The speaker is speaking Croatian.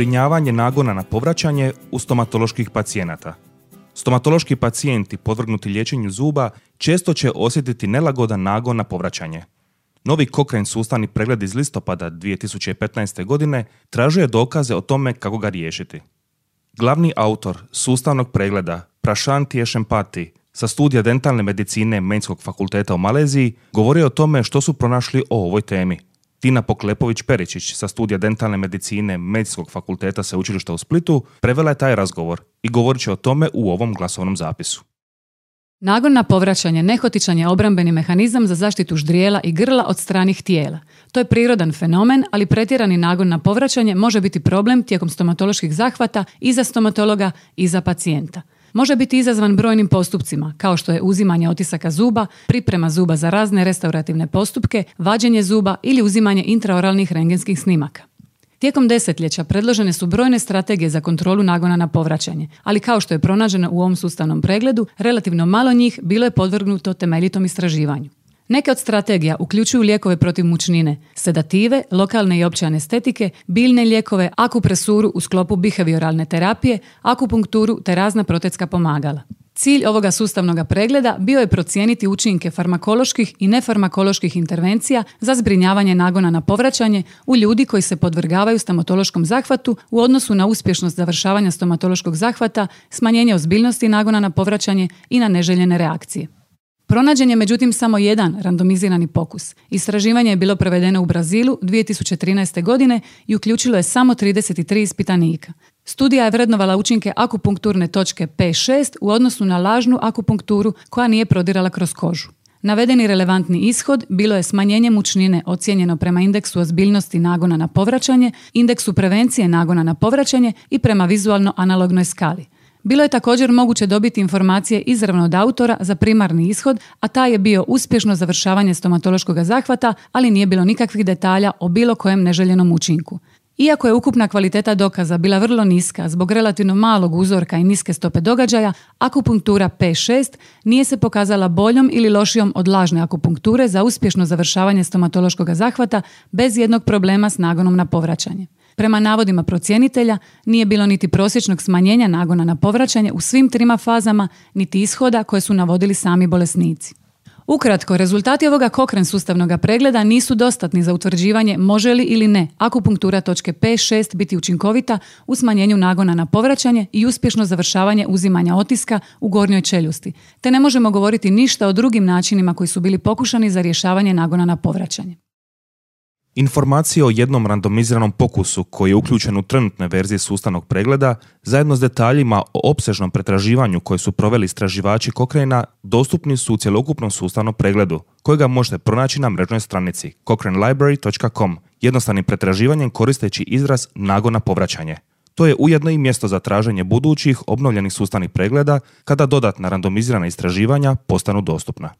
Zbrinjavanje nagona na povraćanje u stomatoloških pacijenata. Stomatološki pacijenti podvrgnuti liječenju zuba često će osjetiti nelagodan nagon na povraćanje. Novi Cochrane sustavni pregled iz listopada 2015. godine tražio je dokaze o tome kako ga riješiti. Glavni autor sustavnog pregleda, Prashant Yeshempati, sa studija dentalne medicine Medicinskog fakulteta u Maleziji, govorio o tome što su pronašli o ovoj temi. Tina Poklepović-Peričić sa studija dentalne medicine Medicinskog fakulteta Sveučilišta u Splitu prevela je taj razgovor i govorit će o tome u ovom glasovnom zapisu. Nagon na povraćanje nehotičan je obrambeni mehanizam za zaštitu ždrijela i grla od stranih tijela. To je prirodan fenomen, ali pretjerani nagon na povraćanje može biti problem tijekom stomatoloških zahvata i za stomatologa i za pacijenta. Može biti izazvan brojnim postupcima, kao što je uzimanje otisaka zuba, priprema zuba za razne restaurativne postupke, vađenje zuba ili uzimanje intraoralnih rentgenskih snimaka. Tijekom desetljeća predložene su brojne strategije za kontrolu nagona na povraćanje, ali kao što je pronađeno u ovom sustavnom pregledu, relativno malo njih bilo je podvrgnuto temeljitom istraživanju. Neke od strategija uključuju lijekove protiv mučnine, sedative, lokalne i opće anestetike, biljne lijekove, akupresuru u sklopu behavioralne terapije, akupunkturu te razna protetska pomagala. Cilj ovoga sustavnog pregleda bio je procijeniti učinke farmakoloških i nefarmakoloških intervencija za zbrinjavanje nagona na povraćanje u ljudi koji se podvrgavaju stomatološkom zahvatu u odnosu na uspješnost završavanja stomatološkog zahvata, smanjenje ozbiljnosti nagona na povraćanje i na neželjene reakcije. Pronađen je međutim samo jedan randomizirani pokus. Istraživanje je bilo provedeno u Brazilu 2013. godine i uključilo je samo 33 ispitanika. Studija je vrednovala učinke akupunkturne točke P6 u odnosu na lažnu akupunkturu koja nije prodirala kroz kožu. Navedeni relevantni ishod bilo je smanjenje mučnine ocijenjeno prema indeksu ozbiljnosti nagona na povraćanje, indeksu prevencije nagona na povraćanje i prema vizualno analognoj skali. Bilo je također moguće dobiti informacije izravno od autora za primarni ishod, a taj je bio uspješno završavanje stomatološkog zahvata, ali nije bilo nikakvih detalja o bilo kojem neželjenom učinku. Iako je ukupna kvaliteta dokaza bila vrlo niska zbog relativno malog uzorka i niske stope događaja, akupunktura P6 nije se pokazala boljom ili lošijom od lažne akupunkture za uspješno završavanje stomatološkog zahvata bez jednog problema s nagonom na povraćanje. Prema navodima procjenitelja, nije bilo niti prosječnog smanjenja nagona na povraćanje u svim trima fazama, niti ishoda koje su navodili sami bolesnici. Ukratko, rezultati ovoga Cochrane sustavnog pregleda nisu dostatni za utvrđivanje može li ili ne akupunktura točke P6 biti učinkovita u smanjenju nagona na povraćanje i uspješno završavanje uzimanja otiska u gornjoj čeljusti, te ne možemo govoriti ništa o drugim načinima koji su bili pokušani za rješavanje nagona na povraćanje. Informacije o jednom randomiziranom pokusu koji je uključen u trenutne verzije sustavnog pregleda, zajedno s detaljima o opsežnom pretraživanju koje su proveli istraživači Cochrane-a, dostupni su u cjelokupnom sustavnom pregledu, kojega možete pronaći na mrežnoj stranici cochranelibrary.com, jednostavnim pretraživanjem koristeći izraz nagon na povraćanje. To je ujedno i mjesto za traženje budućih obnovljenih sustavnih pregleda kada dodatna randomizirana istraživanja postanu dostupna.